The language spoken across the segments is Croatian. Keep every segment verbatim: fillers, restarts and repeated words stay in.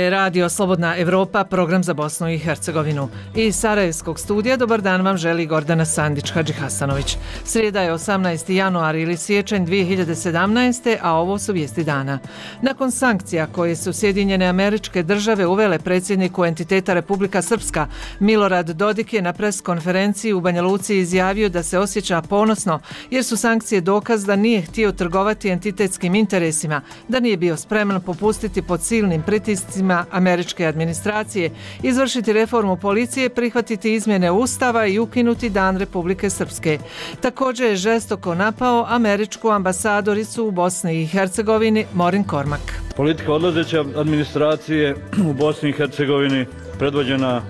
je Radio Slobodna Evropa, program za Bosnu i Hercegovinu. Iz Sarajevskog studija dobar dan vam želi Gordana Sandić-Hadžihasanović. Srijeda je osamnaesti januar ili siječanj dvije hiljade sedamnaeste. a ovo su vijesti dana. Nakon sankcija koje su Sjedinjene Američke Države uvele predsjedniku entiteta Republika Srpska, Milorad Dodik je na pres konferenciji u Banja Luci izjavio da se osjeća ponosno jer su sankcije dokaz da nije htio trgovati entitetskim interesima, da nije bio spreman popustiti pod silnim pritiscima američke administracije, izvršiti reformu policije, prihvatiti izmjene Ustava i ukinuti Dan Republike Srpske. Također je žestoko napao američku ambasadoricu u Bosni i Hercegovini Morin Kormak. Politika odlazeće administracije u Bosni i Hercegovini predvođena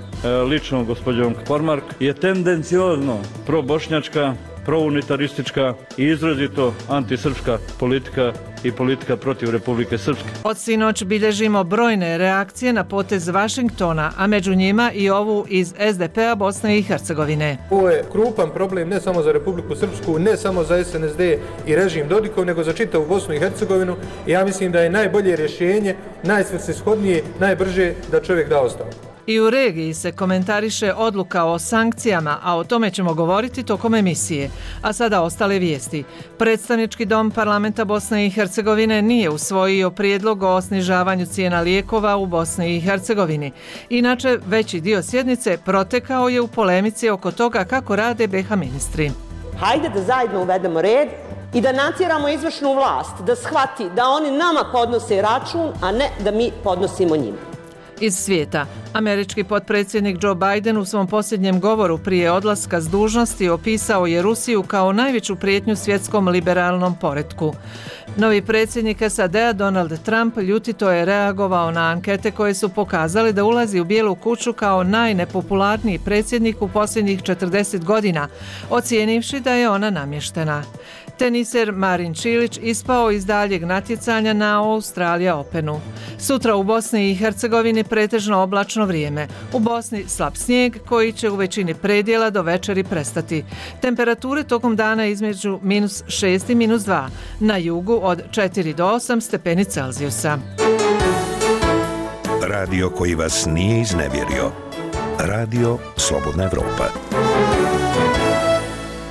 lično gospođom Kormak je tendenciozno probošnjačka, prounitaristička i izrazito antisrpska politika i politika protiv Republike Srpske. Od sinoć bilježimo brojne reakcije na potez Vašingtona, a među njima i ovu iz es de pe a Bosne i Hercegovine. Ovo je krupan problem ne samo za Republiku Srpsku, ne samo za es en es de i režim Dodikov, nego za čitavu Bosnu i Hercegovinu. Ja mislim da je najbolje rješenje, najsvrsishodnije, najbrže da čovjek da ostavku. I u regiji se komentariše odluka o sankcijama, a o tome ćemo govoriti tokom emisije. A sada ostale vijesti. Predstavnički dom parlamenta Bosne i Hercegovine nije usvojio prijedlog o snižavanju cijena lijekova u Bosni i Hercegovini. Inače, veći dio sjednice protekao je u polemici oko toga kako rade be ha ministri. Hajde da zajedno uvedemo red i da natjeramo izvršnu vlast da shvati da oni nama podnose račun, a ne da mi podnosimo njima. Iz svijeta. Američki potpredsjednik Joe Biden u svom posljednjem govoru prije odlaska s dužnosti opisao je Rusiju kao najveću prijetnju svjetskom liberalnom poretku. Novi predsjednik es a de a Donald Trump ljutito je reagovao na ankete koje su pokazale da ulazi u Bijelu kuću kao najnepopularniji predsjednik u posljednjih četrdeset godina, ocijenivši da je ona namještena. Teniser Marin Čilić ispao iz daljeg natjecanja na Australija Openu. Sutra u Bosni i Hercegovini pretežno oblačno vrijeme. U Bosni slab snijeg koji će u većini predjela do večeri prestati. Temperature tokom dana između minus šest i minus dva. Na jugu od četiri do osam stepeni Celzijusa. Radio koji vas nije iznevjerio. Radio Slobodna Evropa.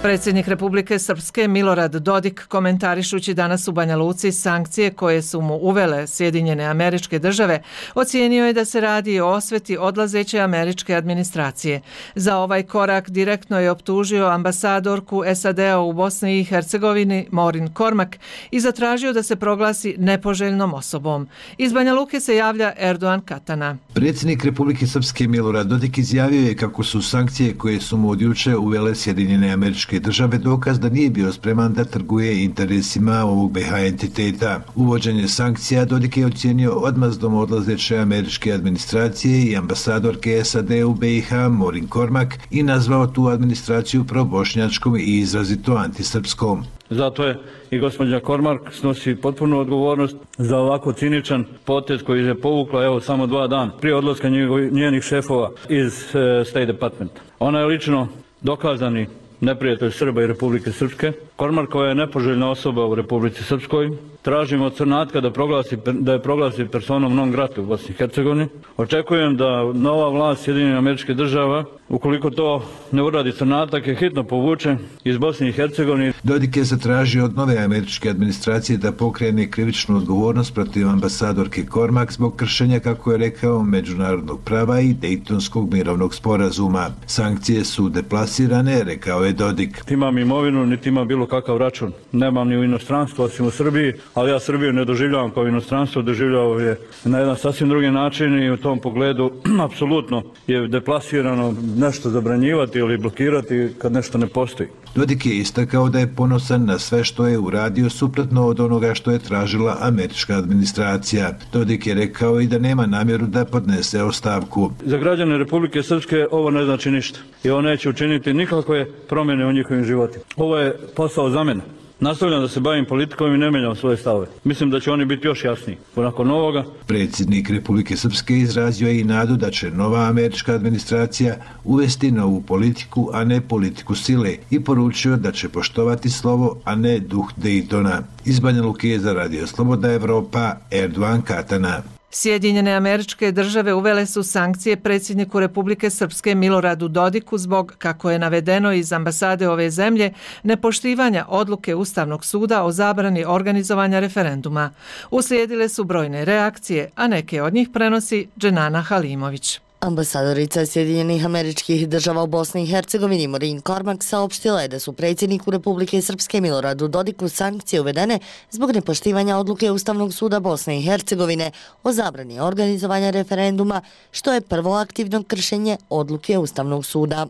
Predsjednik Republike Srpske Milorad Dodik, komentarišući danas u Banja Luci sankcije koje su mu uvele Sjedinjene Američke Države, ocijenio je da se radi o osveti odlazeće američke administracije. Za ovaj korak direktno je optužio ambasadorku es a de a u Bosni i Hercegovini Morin Kormak i zatražio da se proglasi nepoželjnom osobom. Iz Banja Luke se javlja Erdogan Katana. Predsjednik Republike Srpske Milorad Dodik izjavio je kako su sankcije koje su mu od juče uvele Sjedinjene Američke Države dokaz da nije bio spreman da trguje interesima ovog be ha entiteta. Uvođenje sankcija Dodik je ocijenio odmazdom odlazeće američke administracije i ambasadorke es a de u be i ha Morin Kormak i nazvao tu administraciju probošnjačkom i izrazito antisrpskom. Zato je i gospođa Kormak snosi potpunu odgovornost za ovako ciničan potez koji je povukla evo samo dva dana prije odlaska njenih šefova iz uh, State Department. Ona je lično dokazani neprijatelj Srba i Republike Srpske. Kormak koja je nepoželjna osoba u Republici Srpskoj. Tražimo od Crnatka da, proglasi, da je proglasi personom non grata u Bosni i Hercegovini. Očekujem da nova vlast Sjedinjenih Američkih Država, ukoliko to ne uradi Crnatak, je hitno povuče iz Bosne i Hercegovine. Dodik je zatražio od nove američke administracije da pokrene krivičnu odgovornost protiv ambasadorke Kormak zbog kršenja, kako je rekao, međunarodnog prava i Dejtonskog mirovnog sporazuma. Sankcije su deplasirane, rekao je Dodik. Imam imovinu, niti imam bilo kakav račun. Nemam ni u inostranstvu, osim u Srbiji, ali ja Srbiju ne doživljavam kao inostranstvo, doživljavao je na jedan sasvim drugi način i u tom pogledu apsolutno je deplasirano nešto zabranjivati ili blokirati kad nešto ne postoji. Dodik je istakao da je ponosan na sve što je uradio suprotno od onoga što je tražila američka administracija. Dodik je rekao i da nema namjeru da podnese ostavku. Za građane Republike Srpske ovo ne znači ništa i ovo neće učiniti nikakve promjene u njihovim životima. Ovo je posao za mene. Nastavljam da se bavim politikom i ne menjam svoje stavove. Mislim da će oni biti još jasniji. Nakon ovoga... Predsjednik Republike Srpske izrazio je i nadu da će nova američka administracija uvesti novu politiku, a ne politiku sile, i poručio da će poštovati slovo, a ne duh Dejtona. Iz Banja Luke za Radio Slobodna Evropa, Erdogan Katana. Sjedinjene Američke Države uvele su sankcije predsjedniku Republike Srpske Miloradu Dodiku zbog, kako je navedeno iz ambasade ove zemlje, nepoštivanja odluke Ustavnog suda o zabrani organizovanja referenduma. Uslijedile su brojne reakcije, a neke od njih prenosi Dženana Halimović. Ambasadorica Sjedinjenih Američkih Država u Bosni i Hercegovini Maureen Cormack saopštila je da su predsjedniku Republike Srpske Miloradu Dodiku sankcije uvedene zbog nepoštivanja odluke Ustavnog suda Bosne i Hercegovine o zabrani organizovanja referenduma, što je prvo aktivno kršenje odluke Ustavnog suda.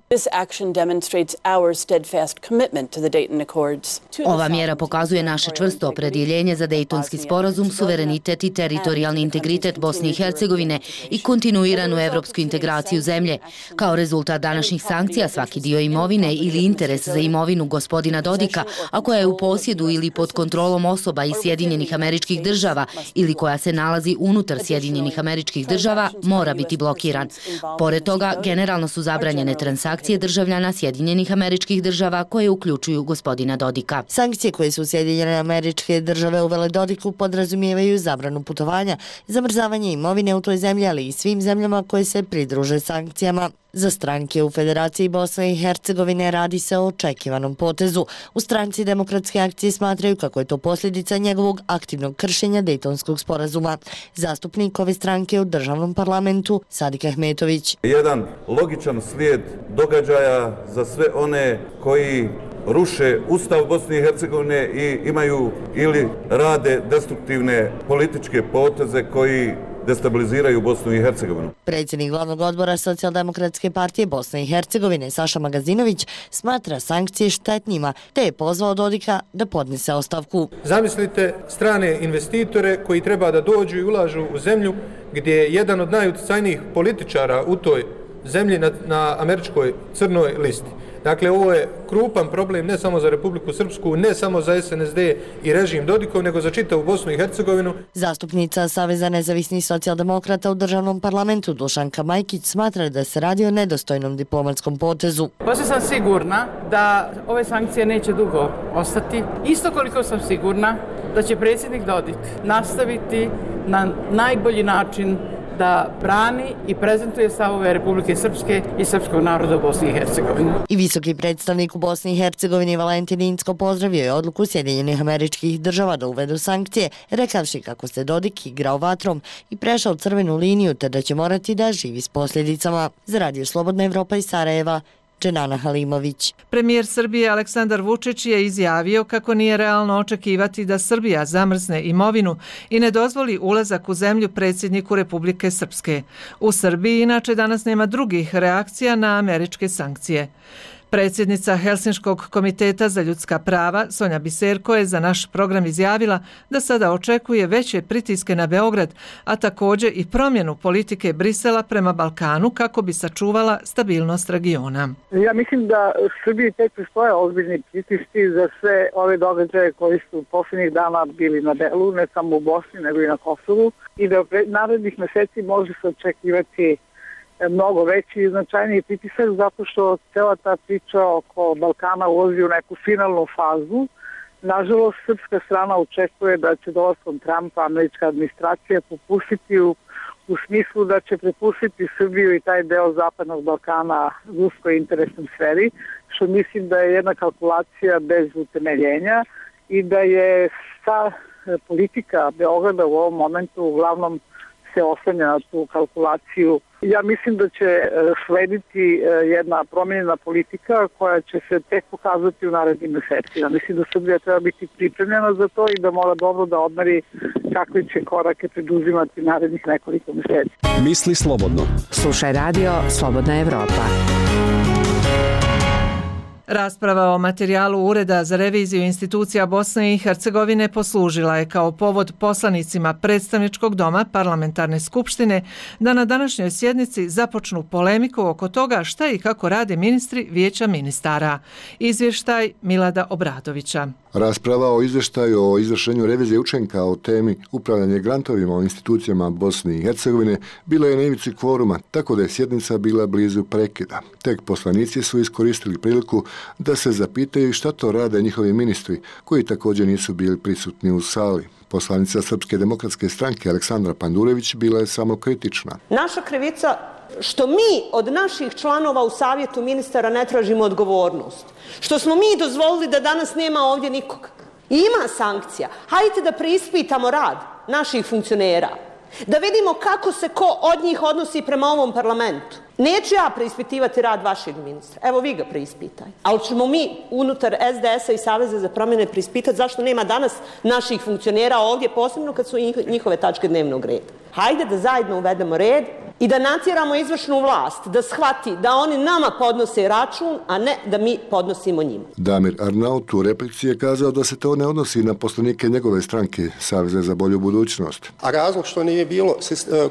Ova mjera pokazuje naše čvrsto opredjeljenje za Dejtonski sporazum, suverenitet i teritorijalni integritet Bosne i Hercegovine i kontinuiranu evropsku integraciju zemlje. Kao rezultat današnjih sankcija, svaki dio imovine ili interes za imovinu gospodina Dodika, a koja je u posjedu ili pod kontrolom osoba iz Sjedinjenih Američkih Država ili koja se nalazi unutar Sjedinjenih Američkih Država, mora biti blokiran. Pored toga, generalno su zabranjene transakcije državljana Sjedinjenih Američkih Država koje uključuju gospodina Dodika. Sankcije koje su Sjedinjene Američke Države uvele Dodiku podrazumijevaju zabranu putovanja, zamrzavanje imovine u toj zemlji, ali i svim zemljama koje se pridruže sankcijama. Za stranke u Federaciji Bosne i Hercegovine radi se o očekivanom potezu. U stranci Demokratske akcije smatraju kako je to posljedica njegovog aktivnog kršenja Dejtonskog sporazuma. Zastupnik ove stranke u državnom parlamentu Sadik Ahmetović. Jedan logičan slijed događaja za sve one koji ruše Ustav Bosne i Hercegovine i imaju ili rade destruktivne političke poteze koji destabiliziraju Bosnu i Hercegovinu. Predsjednik glavnog odbora Socijaldemokratske partije Bosne i Hercegovine Saša Magazinović smatra sankcije štetnjima, te je pozvao Dodika da podnese ostavku. Zamislite strane investitore koji treba da dođu i ulažu u zemlju gdje je jedan od najuticajnijih političara u toj zemlji na, na američkoj crnoj listi. Dakle, ovo je krupan problem ne samo za Republiku Srpsku, ne samo za S N S D i režim Dodikov, nego za čitavu Bosnu i Hercegovinu. Zastupnica Saveza nezavisnih socijaldemokrata u državnom parlamentu Dušanka Majkić smatra da se radi o nedostojnom diplomatskom potezu. Posle sam sigurna da ove sankcije neće dugo ostati. Isto koliko sam sigurna da će predsjednik Dodik nastaviti na najbolji način da brani i prezentuje stavove Republike Srpske i srpskog naroda u Bosni i Hercegovini. I visoki predstavnik u Bosni i Hercegovini Valentin Incko pozdravio je odluku Sjedinjenih Američkih Država da uvedu sankcije, rekavši kako se Dodik igrao vatrom i prešao crvenu liniju te da će morati da živi s posljedicama. Za Radio Slobodna Evropa iz Sarajeva, Dženana Halimović. Premijer Srbije Aleksandar Vučić je izjavio kako nije realno očekivati da Srbija zamrzne imovinu i ne dozvoli ulazak u zemlju predsjedniku Republike Srpske. U Srbiji inače danas nema drugih reakcija na američke sankcije. Predsjednica Helsinškog komiteta za ljudska prava Sonja Biserko je za naš program izjavila da sada očekuje veće pritiske na Beograd, a također i promjenu politike Brisela prema Balkanu kako bi sačuvala stabilnost regiona. Ja mislim da Srbiji tek pristoje ozbiljni pritisci za sve ove događaje koji su posljednjih dana bili na delu, ne samo u Bosni nego i na Kosovu, i da u narednih meseci može se očekivati mnogo veći i značajniji pritisak zato što cela ta priča oko Balkana ulazi u neku finalnu fazu. Nažalost, srpska strana očekuje da će dolaskom Trumpa američka administracija popustiti u, u smislu da će prepustiti Srbiju i taj deo zapadnog Balkana ruskoj interesnoj sferi, što mislim da je jedna kalkulacija bez utemeljenja i da je sa politika Beograda u ovom momentu uglavnom se oslanja na tu kalkulaciju. Ja mislim da će slediti jedna promjenjena politika koja će se tek pokazati u narednim mesecima. Mislim da Srbija treba biti pripremljena za to i da mora dobro da odmeri kakve će korake preduzimati narednih nekoliko meseci. Misli slobodno. Slušaj radio Slobodna Evropa. Rasprava o materijalu Ureda za reviziju institucija Bosne i Hercegovine poslužila je kao povod poslanicima predstavničkog doma parlamentarne skupštine da na današnjoj sjednici započnu polemiku oko toga šta i kako rade ministri Vijeća ministara. Izvještaj Milada Obradovića. Rasprava o izvještaju o izvršenju revizije učenka o temi upravljanje grantovima o institucijama Bosne i Hercegovine bila je na ivici kvoruma, tako da je sjednica bila blizu prekida. Tek poslanici su iskoristili priliku da se zapitaju šta to rade njihovi ministri, koji također nisu bili prisutni u sali. Poslanica Srpske demokratske stranke Aleksandra Pandurević bila je samo kritična. Naša krivica što mi od naših članova u savjetu ministara ne tražimo odgovornost. Što smo mi dozvolili da danas nema ovdje nikoga. I ima sankcija. Hajde da preispitamo rad naših funkcionera. Da vidimo kako se ko od njih odnosi prema ovom parlamentu. Neću ja preispitivati rad vašeg ministra. Evo vi ga preispitajte. Ali ćemo mi unutar es de es a i Saveza za promjene preispitati zašto nema danas naših funkcionera ovdje, posebno kad su njihove tačke dnevnog reda. Hajde da zajedno uvedemo red i da natjeramo izvršnu vlast da shvati da oni nama podnose račun, a ne da mi podnosimo njima. Damir Arnaut u replici je kazao da se to ne odnosi na poslanike njegove stranke Saveza za bolju budućnost. A razlog što nije bilo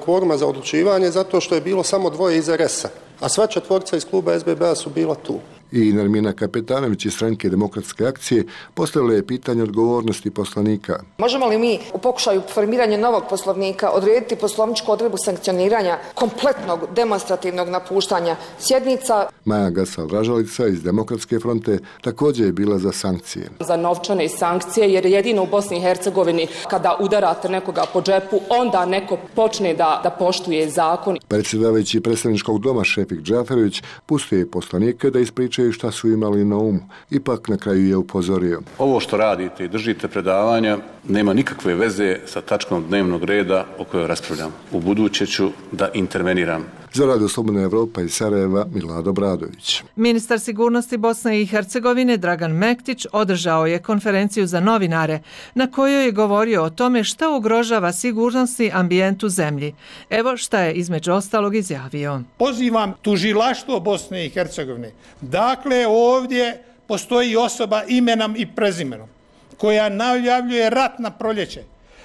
kvoruma za odlučivanje zato što je bilo samo dvoje iz er es a, a sva četvorca iz kluba es be be a su bila tu. I Nermina Kapetanović iz stranke Demokratske akcije postavila je pitanje odgovornosti poslanika. Možemo li mi u pokušaju formiranja novog poslovnika odrediti poslovničku odredbu sankcioniranja kompletnog demonstrativnog napuštanja sjednica? Maja Gasal-Ražalica iz Demokratske fronte također je bila za sankcije. Za novčane sankcije, jer jedino u Bosni i Hercegovini kada udarate nekoga po džepu, onda neko počne da, da poštuje zakon. Predsjedavajući predstavničkog doma Šefik Džaferović pustio je poslanike da ispričaju šta su imali na umu. Ipak na kraju je upozorio. Ovo što radite i držite predavanja nema nikakve veze sa tačkom dnevnog reda o kojoj raspravljam. U buduće ću da interveniram. Za Radio Slobodna Evropa iz Sarajeva, Milado Bradović. Ministar sigurnosti Bosne i Hercegovine Dragan Mektić održao je konferenciju za novinare na kojoj je govorio o tome šta ugrožava sigurnosni ambijent u zemlji. Evo šta je između ostalog izjavio. Pozivam tužilaštvo Bosne i Hercegovine. Dakle, ovdje postoji osoba imenom i prezimenom koja najavljuje rat na proljeće,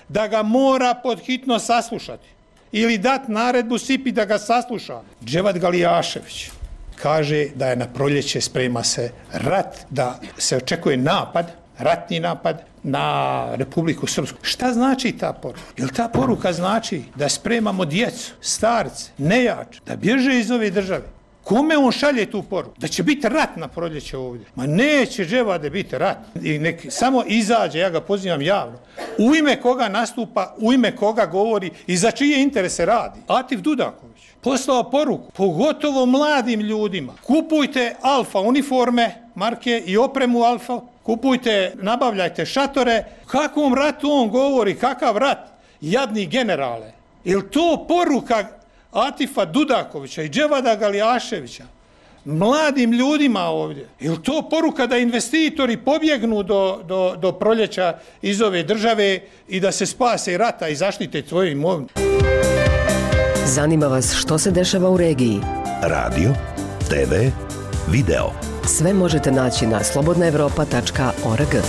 da ga mora podhitno saslušati ili dat naredbu Sipi da ga sasluša. Dževad Galijašević kaže da je na proljeće sprema se rat, da se očekuje napad, ratni napad na Republiku Srpsku. Šta znači ta poruka? Jel ta poruka znači da spremamo djecu, starce, nejače, da bježe iz ove države? Kome on šalje tu poruku? Da će biti rat na proljeće ovdje. Ma neće Dževade biti rat. I nek samo izađe, ja ga pozivam javno. U ime koga nastupa, u ime koga govori i za čije interese radi. Atif Dudaković poslao poruku, pogotovo mladim ljudima. Kupujte Alfa uniforme, marke i opremu Alfa. Kupujte, nabavljajte šatore. Kakvom ratu on govori? Kakav rat? Jadni generale. Jel to poruka Atifa Dudakovića i Dževada Galijaševića mladim ljudima ovdje? Je li to poruka da investitori pobjegnu do, do, do proljeća iz ove države i da se spase rata i zaštite svoju imovinu? Zanima vas što se dešava u regiji? Radio, te ve, video. Sve možete naći na slobodna evropa tačka org.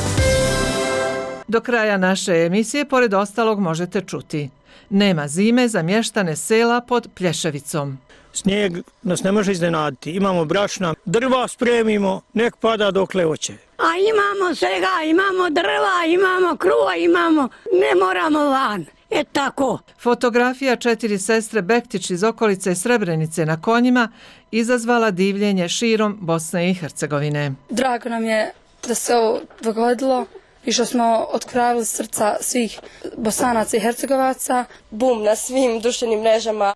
Do kraja naše emisije, pored ostalog, možete čuti. Nema zime za mještane sela pod Plješevicom. Snijeg nas ne može iznenaditi. Imamo brašna, drva spremimo, nek pada dokle hoće. A imamo svega, imamo drva, imamo kruva, imamo, ne moramo van. E tako. Fotografija četiri sestre Bektić iz okolice Srebrenice na konjima izazvala divljenje širom Bosne i Hercegovine. Drago nam je da se ovo dogodilo i što smo otkravili srca svih Bosanaca i Hercegovaca. Bum na svim društvenim mrežama.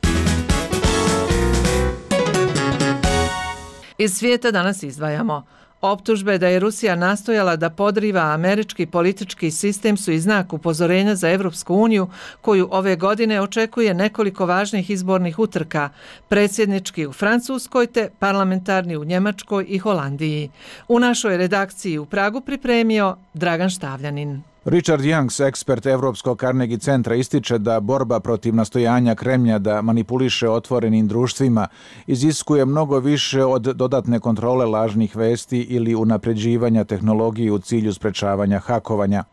Iz svijeta danas izdvajamo. Optužbe da je Rusija nastojala da podriva američki politički sistem su i znak upozorenja za Evropsku uniju, koju ove godine očekuje nekoliko važnih izbornih utrka, predsjednički u Francuskoj te parlamentarni u Njemačkoj i Holandiji. U našoj redakciji u Pragu pripremio Dragan Štavljanin. Richard Youngs, ekspert Evropskog Carnegie centra, ističe da borba protiv nastojanja Kremlja da manipuliše otvorenim društvima iziskuje mnogo više od dodatne kontrole lažnih vesti ili unapređivanja tehnologije u cilju sprečavanja hakovanja.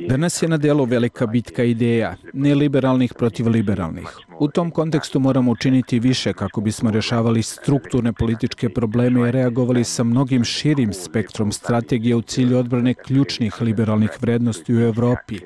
Danas je na delu velika bitka ideja, neliberalnih protiv liberalnih. U tom kontekstu moramo učiniti više kako bismo rješavali strukturne političke probleme i reagovali sa mnogim širim spektrom strategije u cilju odbrane ključnih osnovnih liberalnih vrednosti u Evropi,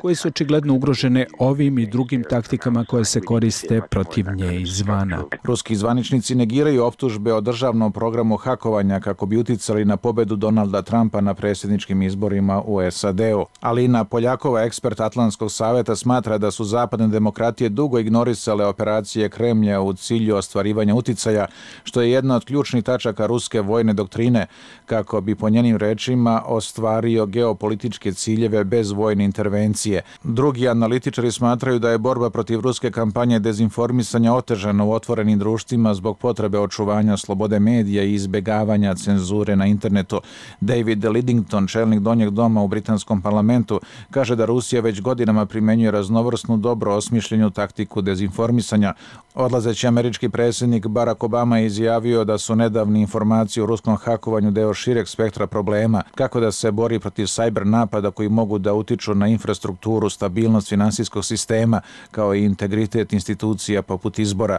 koje su očigledno ugrožene ovim i drugim taktikama koje se koriste protiv nje izvana. Ruski zvaničnici negiraju optužbe o državnom programu hakovanja kako bi uticali na pobedu Donalda Trumpa na predsjedničkim izborima u S A D-u. Alina Poljakova, ekspert Atlantskog saveta, smatra da su zapadne demokratije dugo ignorisale operacije Kremlja u cilju ostvarivanja uticaja, što je jedna od ključnih tačaka ruske vojne doktrine, kako bi po njenim rečima ostvario geopolitičke ciljeve bez vojne intervencije. Drugi analitičari smatraju da je borba protiv ruske kampanje dezinformisanja otežana u otvorenim društvima zbog potrebe očuvanja slobode medija i izbjegavanja cenzure na internetu. David Lidington, čelnik Donjeg doma u britanskom parlamentu, kaže da Rusija već godinama primjenjuje raznovrsnu, dobro osmišljenu taktiku dezinformisanja. Odlazeći američki predsjednik Barack Obama je izjavio da su nedavne informacije o ruskom hakovanju deo šireg spektra problema, kako da se bori protiv sajber napada koji mogu da utiču na infrastrukturu, stabilnost finansijskog sistema, kao i integritet institucija poput izbora.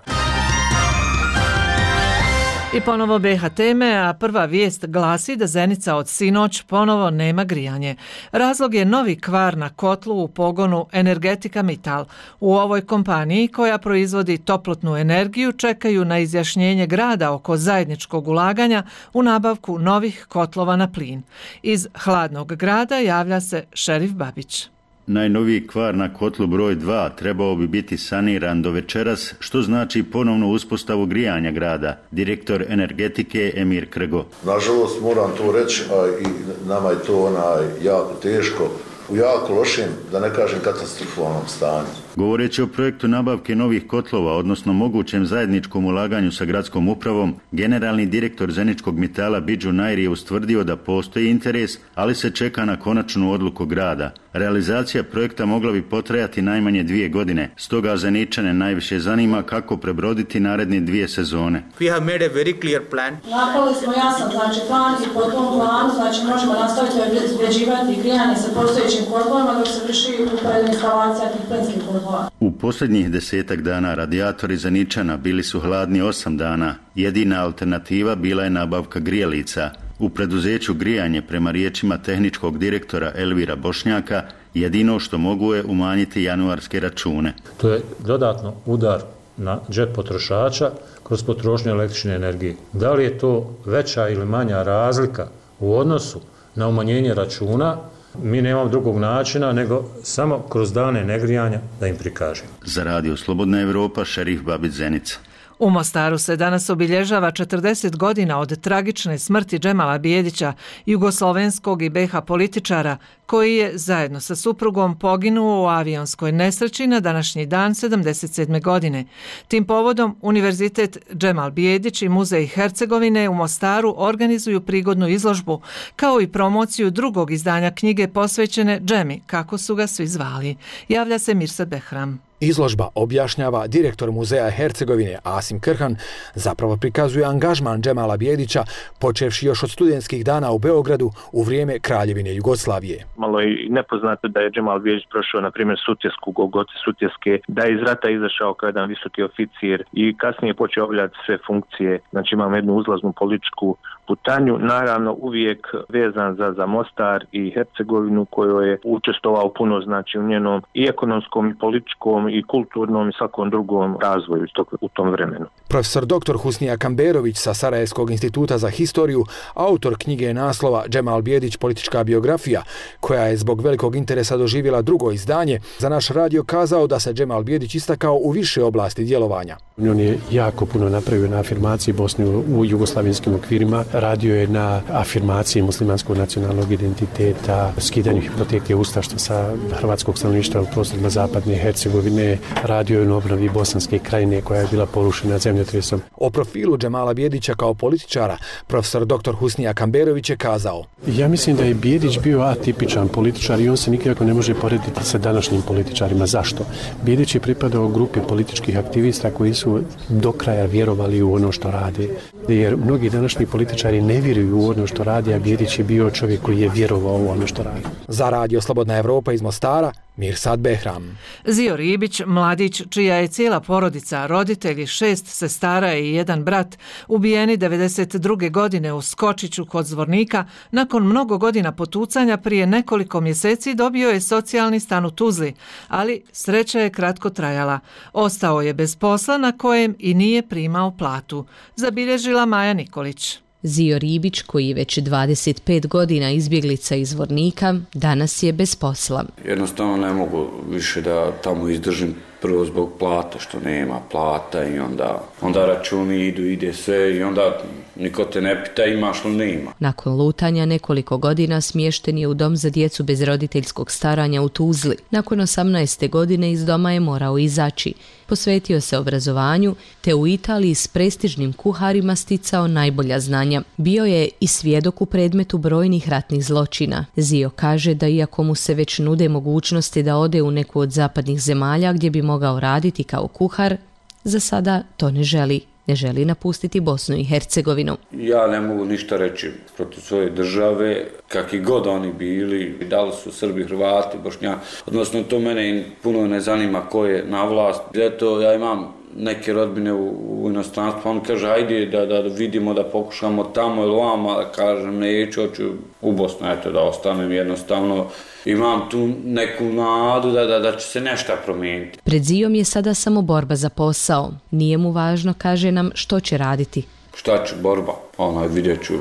I ponovo B H teme, a prva vijest glasi da Zenica od sinoć ponovo nema grijanje. Razlog je novi kvar na kotlu u pogonu Energetika Mittal. U ovoj kompaniji, koja proizvodi toplotnu energiju, čekaju na izjašnjenje grada oko zajedničkog ulaganja u nabavku novih kotlova na plin. Iz hladnog grada javlja se Šerif Babić. Najnoviji kvar na kotlu broj dva trebao bi biti saniran do večeras, što znači ponovnu uspostavu grijanja grada. Direktor energetike Emir Krgo. Nažalost, moram to reći, a i nama je to onaj jako teško, u jako lošem, da ne kažem katastrofalnom stanju. Govoreći o projektu nabavke novih kotlova, odnosno mogućem zajedničkom ulaganju sa gradskom upravom, generalni direktor Zeničkog Mittala Bidžu Nair je ustvrdio da postoji interes, ali se čeka na konačnu odluku grada. Realizacija projekta mogla bi potrajati najmanje dvije godine, stoga Zeničane najviše zanima kako prebroditi naredne dvije sezone. We have made a very clear plan. Napravili smo jasan znači plan i po tom planu znači možemo nastaviti obezbeđivati grijanje sa postojećim kotlovima dok se vrši uporedna instalacija tih plinskih kotlova. U posljednjih desetak dana radijatori Zeničana bili su hladni osam dana. Jedina alternativa bila je nabavka grijalica. U preduzeću Grijanje, prema riječima tehničkog direktora Elvira Bošnjaka, jedino što mogu je umanjiti januarske račune. To je dodatno udar na džep potrošača kroz potrošnju električne energije. Da li je to veća ili manja razlika u odnosu na umanjenje računa? Mi nemamo drugog načina nego samo kroz dane negrijanja da im prikažemo. Za Radio Slobodna Evropa, Šerif Babić, Zenica. U Mostaru se danas obilježava četrdeset godina od tragične smrti Džemala Bijedića, jugoslovenskog i B H političara, koji je zajedno sa suprugom poginuo u avionskoj nesreći na današnji dan sedamdeset sedme. godine. Tim povodom Univerzitet Džemal Bijedić i Muzej Hercegovine u Mostaru organizuju prigodnu izložbu, kao i promociju drugog izdanja knjige posvećene Džemi, kako su ga svi zvali. Javlja se Mirsad Behram. Izložba, objašnjava direktor Muzeja Hercegovine Asim Krhan, zapravo prikazuje angažman Džemala Bijedića, počevši još od studentskih dana u Beogradu u vrijeme Kraljevine Jugoslavije. Malo je nepoznato da je Džemal Bijedić prošao, na primjer, Sutjesku, Golgote Sutjeske, da je iz rata izašao kao jedan visoki oficir i kasnije počeo obavljati sve funkcije. Znači imamo jednu uzlaznu političku putanju, naravno uvijek vezan za, za Mostar i Hercegovinu, koju je učestvovao puno znači u njenom i ekonomskom i političkom i kulturnom i svakom drugom razvoju u tom vremenu. Profesor doktor Husnija Kamberović sa Sarajevskog instituta za historiju, autor knjige naslova Džemal Bijedić, politička biografija, koja je zbog velikog interesa doživjela drugo izdanje, za naš radio kazao da se Džemal Bijedić istakao u više oblasti djelovanja. On je jako puno napravio na afirmaciji Bosne u jugoslavenskim okvirima, radio je na afirmaciji muslimanskog nacionalnog identiteta, skidanju hipoteke ustaštva sa hrvatskog stanovništva u prostorima zapadne Hercegovine, radio je na obnovi Bosanske krajine koja je bila porušena zemljotresom. O profilu Džemala Bijedića kao političara profesor doktor Husnija Kamberović je kazao: Ja mislim da je Bijedić bio atipičan političar i on se nikako ne može porediti sa današnjim političarima. Zašto? Bijedić je pripadao grupi političkih aktivista koji su do kraja vjerovali u ono što rade. Jer mnogi današnji političari ne vjeruju u ono što radi, a Bijedić je bio čovjek koji je vjerovao u ono što radi. Za Radio Slobodna Evropa iz Mostara, Mirsad Behram. Zio Ribić, mladić čija je cijela porodica, roditelji, šest sestara i jedan brat, ubijeni devedeset druge godine u Skočiću kod Zvornika, nakon mnogo godina potucanja prije nekoliko mjeseci dobio je socijalni stan u Tuzli, ali sreća je kratko trajala. Ostao je bez posla na kojem i nije primao platu, zabilježila Maja Nikolić. Zio Ribić, koji je već dvadeset pet godina izbjeglica iz Zvornika, danas je bez posla. Jednostavno ne mogu više da tamo izdržim, prvo zbog plata, što nema plata i onda, onda računi idu, ide sve i onda niko te ne pita imaš li nema. Nakon lutanja nekoliko godina smješten je u dom za djecu bez roditeljskog staranja u Tuzli. Nakon osamnaeste godine iz doma je morao izaći. Posvetio se obrazovanju, te u Italiji s prestižnim kuharima sticao najbolja znanja. Bio je i svjedok u predmetu brojnih ratnih zločina. Zio kaže da iako mu se već nude mogućnosti da ode u neku od zapadnih zemalja gdje bi mogao raditi kao kuhar, za sada to ne želi. Ne želi napustiti Bosnu i Hercegovinu. Ja ne mogu ništa reći protiv svoje države, kakvi god oni bili, da li su Srbi, Hrvati, Bošnjaki, odnosno to mene puno ne zanima ko je na vlast. Eto, ja imam neke rodbine u, u inostranstvu, on kaže ajde da, da vidimo, da pokušamo tamo ili ovamo, da kažem neću, hoću u Bosnu, eto da ostanem jednostavno. Imam tu neku nadu da, da, da će se nešto promijeniti. Pred Zijom je sada samo borba za posao. Nije mu važno, kaže nam, što će raditi. Šta ću, borba? Onaj, vidjet ću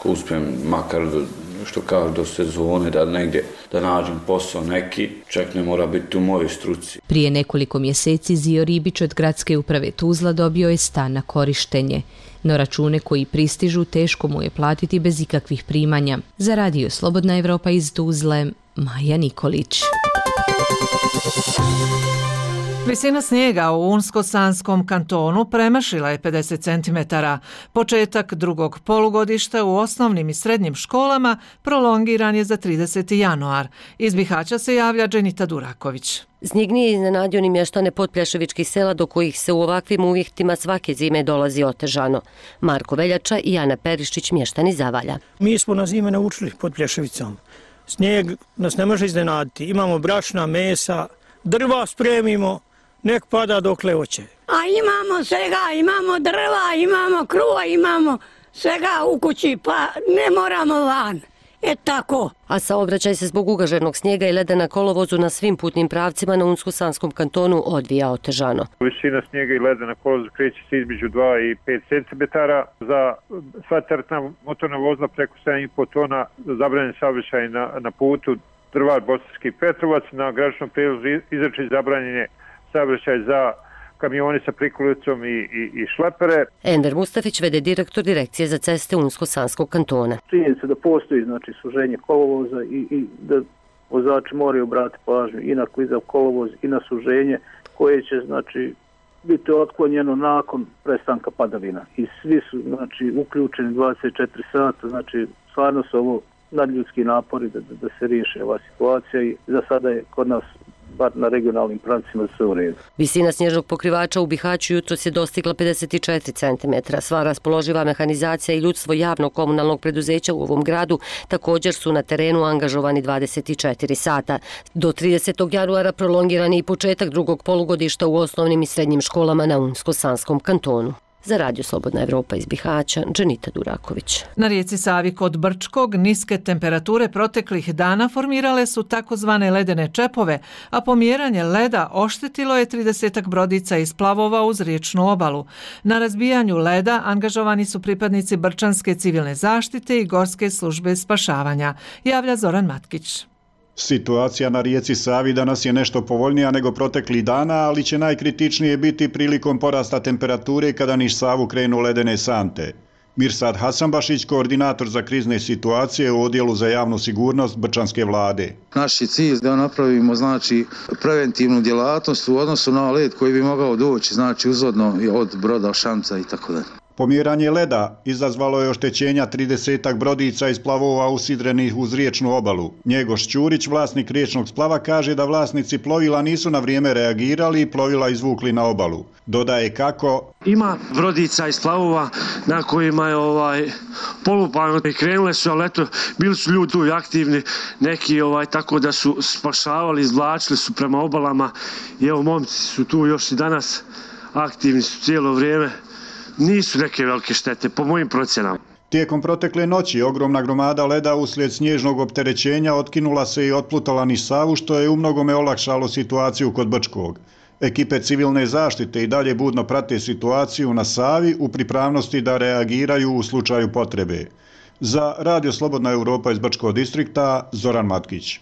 ko uspijem makar do, što kaže, do sezone da negdje da nađem posao neki, čak ne mora biti u mojoj struci. Prije nekoliko mjeseci Zio Ribić od gradske uprave Tuzla dobio je stan na korištenje. No račune koji pristižu teško mu je platiti bez ikakvih primanja. Za radio Slobodna Evropa iz Tuzle, Maja Nikolić. Visina snijega u Unsko-Sanskom kantonu premašila je pedeset centimetara. Početak drugog polugodišta u osnovnim i srednjim školama prolongiran je za trideseti januar. Iz Bihaća se javlja Dženita Duraković. Snijeg nije iznenadio ni mještane podpljaševičkih sela do kojih se u ovakvim uvjetima svake zime dolazi otežano. Marko Veljača i Ana Perišić, mještani Zavalja. Mi smo na zime naučili Podplješevicom. Snijeg nas ne može iznenaditi. Imamo brašna, mesa, drva spremimo, nek pada dokle hoće. A imamo svega, imamo drva, imamo kruva, imamo svega u kući, pa ne moramo van. E tako. A saobraćaj se zbog ugaženog snijega i leda na kolovozu na svim putnim pravcima na Unsko-Sanskom kantonu odvija otežano. Visina snijega i leda na kolovozu kreće se između dva i pet centimetara. Za sva teretna motorna vozila preko sedam i po tona zabranjen saobraćaj na, na putu Drvar Bosanski Petrovac. Na graničnom prijelazu izračaj zabranjen je saobraćaj za kamioni sa prikolicom i, i, i šlepere. Ender Mustafić, vede direktor Direkcije za ceste Unsko-Sanskog kantona. Činjenica da postoji znači suženje kolovoza i, i da vozači moraju obratiti pažnju i na klizav kolovoz i na suženje koje će znači biti otklonjeno nakon prestanka padavina. I svi su znači uključeni dvadeset četiri sata, znači stvarno su ovo nadljudski napori da, da, da se riješi ova situacija i za sada je kod nas bar na regionalnim pravcima sve u redu. Visina snježnog pokrivača u Bihaću jutros je dostigla pedeset četiri centimetra. Sva raspoloživa mehanizacija i ljudstvo javnog komunalnog preduzeća u ovom gradu također su na terenu angažovani dvadeset četiri sata. Do tridesetog januara prolongiran je i početak drugog polugodišta u osnovnim i srednjim školama na Unsko-Sanskom kantonu. Za radio Slobodna Evropa iz Bihaća, Dženita Duraković. Na rijeci Savi kod Brčkog niske temperature proteklih dana formirale su takozvane ledene čepove, a pomjeranje leda oštetilo je tridesetak brodica iz plavova uz riječnu obalu. Na razbijanju leda angažovani su pripadnici Brčanske civilne zaštite i Gorske službe spašavanja, javlja Zoran Matkić. Situacija na rijeci Savi danas je nešto povoljnija nego proteklih dana, ali će najkritičnije biti prilikom porasta temperature kada niž Savu krenu ledene sante. Mirsad Hasanbašić, koordinator za krizne situacije u Odjelu za javnu sigurnost Brčanske vlade. Naš je cilj da napravimo znači preventivnu djelatnost u odnosu na led koji bi mogao doći znači uzvodno od broda, šanca i tako dalje. Pomjeranje leda izazvalo je oštećenja tridesetak brodica iz plavova usidrenih uz riječnu obalu. Njegoš Ćurić, vlasnik riječnog splava, kaže da vlasnici plovila nisu na vrijeme reagirali i plovila izvukli na obalu. Dodaje kako... Ima brodica iz plavova na kojima je ovaj, polupano i krenule su, ali eto, bili su ljudi tu aktivni, neki ovaj, tako da su spašavali, izvlačili su prema obalama i evo momci su tu još i danas, aktivni su cijelo vrijeme. Nisu neke velike štete, po mojim procjenama. Tijekom protekle noći ogromna gromada leda uslijed snježnog opterećenja otkinula se i otplutala niz Savu, što je umnogome olakšalo situaciju kod Brčkog. Ekipe civilne zaštite i dalje budno prate situaciju na Savi u pripravnosti da reagiraju u slučaju potrebe. Za Radio Slobodna Europa iz Brčkog distrikta, Zoran Matkić.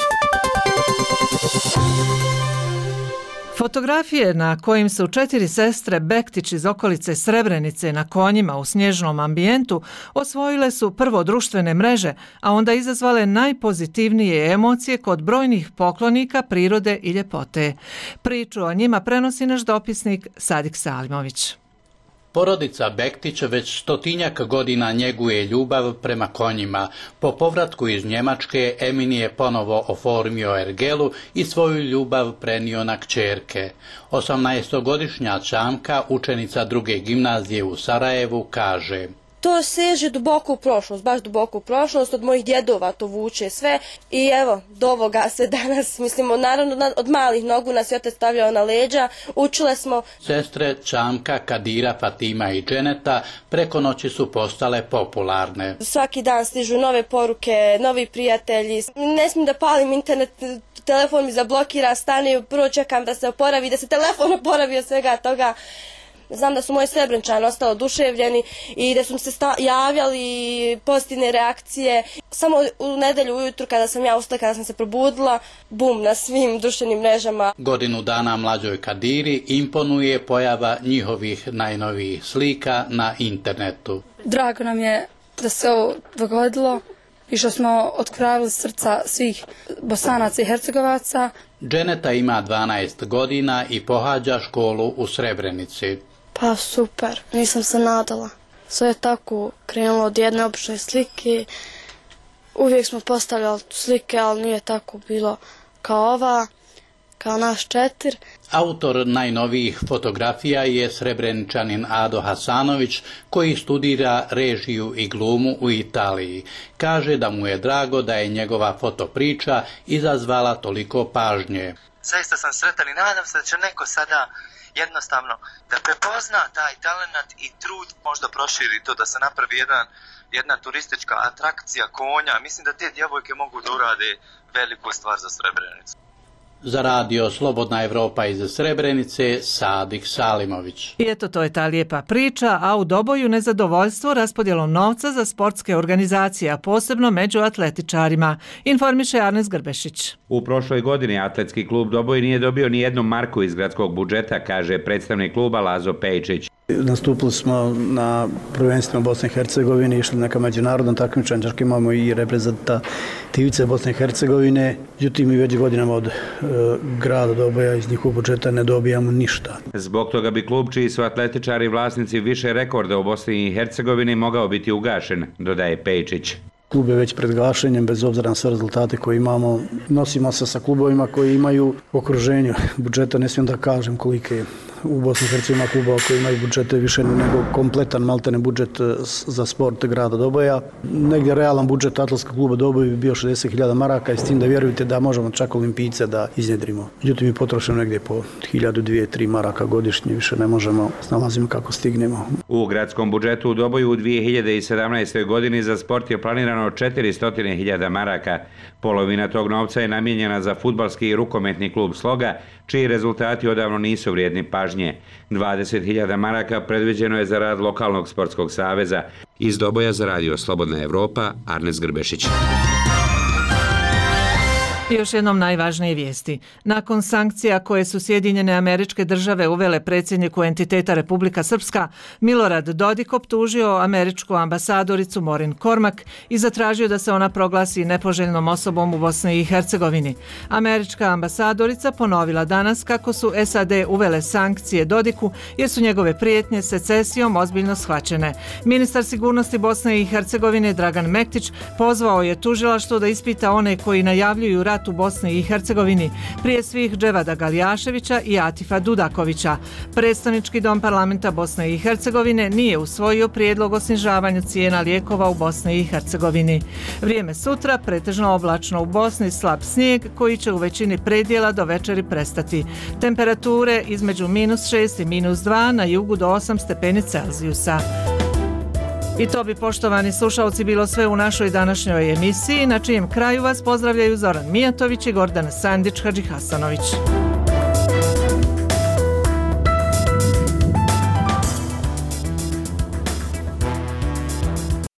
Fotografije na kojim su četiri sestre Bektić iz okolice Srebrenice na konjima u snježnom ambijentu osvojile su prvo društvene mreže, a onda izazvale najpozitivnije emocije kod brojnih poklonika prirode i ljepote. Priču o njima prenosi naš dopisnik Sadik Salimović. Porodica Bektić već stotinjak godina njeguje ljubav prema konjima. Po povratku iz Njemačke Emin je ponovo oformio ergelu i svoju ljubav prenio na kćerke. osamnaestogodišnja Čamka, učenica druge gimnazije u Sarajevu, kaže: To seže duboko u prošlost, baš duboko u prošlost, od mojih djedova to vuče sve i evo, do ovoga se danas, mislimo, naravno od malih nogu nas je otac stavljao na leđa, učile smo. Sestre Čamka, Kadira, Fatima i Dženeta preko noći su postale popularne. Svaki dan stižu nove poruke, novi prijatelji, ne smijem da palim internet, telefon mi zablokira, stane, prvo čekam da se oporavi, da se telefon oporavi od svega toga. Znam da su moji Srebreničani ostali oduševljeni i da su se javljali pozitivne reakcije. Samo u nedelju ujutru kada sam ja ustala, kada sam se probudila, bum, na svim društvenim mrežama. Godinu dana mlađoj Kadiri imponuje pojava njihovih najnovijih slika na internetu. Drago nam je da se ovo dogodilo i što smo otkravili srca svih Bosanaca i Hercegovaca. Dženeta ima dvanaest godina i pohađa školu u Srebrenici. Pa super, nisam se nadala. Sve je tako krenulo od jedne obične slike. Uvijek smo postavljali slike, ali nije tako bilo kao ova, kao naš četir. Autor najnovijih fotografija je Srebreničanin Ado Hasanović, koji studira režiju i glumu u Italiji. Kaže da mu je drago da je njegova fotopriča izazvala toliko pažnje. Zaista sam sretan i nadam se da će neko sada jednostavno da prepozna taj talent i trud, možda proširi to, da se napravi jedan, jedna turistička atrakcija konja. Mislim da te djevojke mogu da urade veliku stvar za Srebrenicu. Za Radio Slobodna Evropa iz Srebrenice, Sadik Salimović. I eto, to je ta lijepa priča, a u Doboju nezadovoljstvo raspodjelom novca za sportske organizacije, a posebno među atletičarima, informiše Arnes Grbešić. U prošloj godini atletski klub Doboj nije dobio ni jednu marku iz gradskog budžeta, kaže predstavnik kluba Lazo Pejčić. Nastupili smo na prvenstvima Bosne i Hercegovine, išli neka međunarodna takmičenja, čak imamo i reprezentativice Bosne i Hercegovine, međutim mi već godinama od e, grada Doboja iz njihovog budžeta ne dobijamo ništa. Zbog toga bi klub, čiji su atletičari vlasnici više rekorda u Bosni i Hercegovini, mogao biti ugašen, dodaje Pejčić. Klub je već pred gašenjem, bez obzira na sve rezultate koje imamo. Nosimo se sa klubovima koji imaju okruženju budžeta, ne smijem da kažem kolike je. U Bosni i Hercegovini klubova koji imaju budžete više nego kompletan maltene budžet za sport grada Doboja. Negdje realan budžet atletskog kluba Doboj bi bio šezdeset hiljada maraka i s tim da vjerujete da možemo čak olimpijce da iznjedrimo. Međutim, mi potrošimo negdje po hiljadu, dvije, tri maraka godišnje, više ne možemo, snalazimo kako stignemo. U gradskom budžetu u Doboju u dvije hiljade sedamnaestoj godini za sport je planirano četiristo hiljada maraka. Polovina tog novca je namijenjena za fudbalski i rukometni klub Sloga, čiji rezultati odavno nisu vrijedni pažnje. dvadeset hiljada maraka predviđeno je za rad lokalnog sportskog saveza. Iz Doboja za Radio Slobodna Evropa, Arnes Grbešić. I još jednom najvažnije vijesti. Nakon sankcija koje su Sjedinjene Američke Države uvele predsjedniku entiteta Republika Srpska, Milorad Dodik optužio američku ambasadoricu Maureen Cormack i zatražio da se ona proglasi nepoželjnom osobom u Bosni i Hercegovini. Američka ambasadorica ponovila danas kako su S A D uvele sankcije Dodiku jer su njegove prijetnje secesijom ozbiljno shvaćene. Ministar sigurnosti Bosne i Hercegovine Dragan Mektić pozvao je tužilaštvo da ispita one koji najavljuju rat u Bosni i Hercegovini, prije svih Dževada Galjaševića i Atifa Dudakovića. Predstavnički dom parlamenta Bosne i Hercegovine nije usvojio prijedlog o snižavanju cijena lijekova u Bosni i Hercegovini. Vrijeme sutra pretežno oblačno u Bosni, slab snijeg koji će u većini predjela do večeri prestati. Temperature između minus šest i minus dva, na jugu do osam stepeni Celzijusa. I to bi, poštovani slušalci, bilo sve u našoj današnjoj emisiji, na čijem kraju vas pozdravljaju Zoran Mijatović i Gordana Sandić Hadžihasanović.